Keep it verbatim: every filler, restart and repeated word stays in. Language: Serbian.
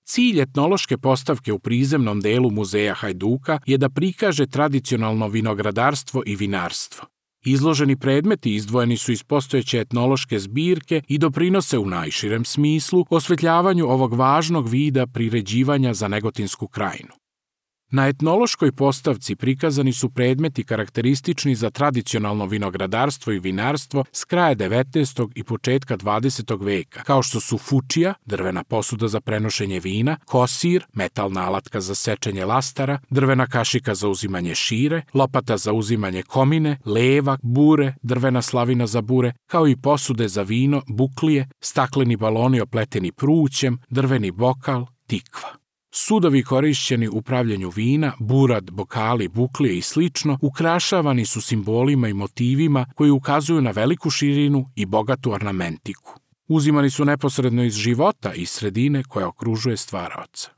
Cilj etnološke postavke u prizemnom delu muzeja Hajduka je da prikaže tradicionalno vinogradarstvo i vinarstvo. Izloženi predmeti izdvojeni su iz postojeće etnološke zbirke i doprinose u najširem smislu osvetljavanju ovog važnog vida priređivanja za Negotinsku krajinu. Na etnološkoj postavci prikazani su predmeti karakteristični za tradicionalno vinogradarstvo i vinarstvo s kraja devetnaestog i početka dvadesetog veka, kao što su fučija, drvena posuda za prenošenje vina, kosir, metalna alatka za sečenje lastara, drvena kašika za uzimanje šire, lopata za uzimanje komine, leva, bure, drvena slavina za bure, kao i posude za vino, buklije, stakleni baloni opleteni prućem, drveni bokal, tikva. Sudovi korišćeni u pravljenju vina, burad, bokali, buklije i slično ukrašavani su simbolima i motivima koji ukazuju na veliku širinu i bogatu ornamentiku. Uzimani su neposredno iz života i sredine koja okružuje stvaraoca.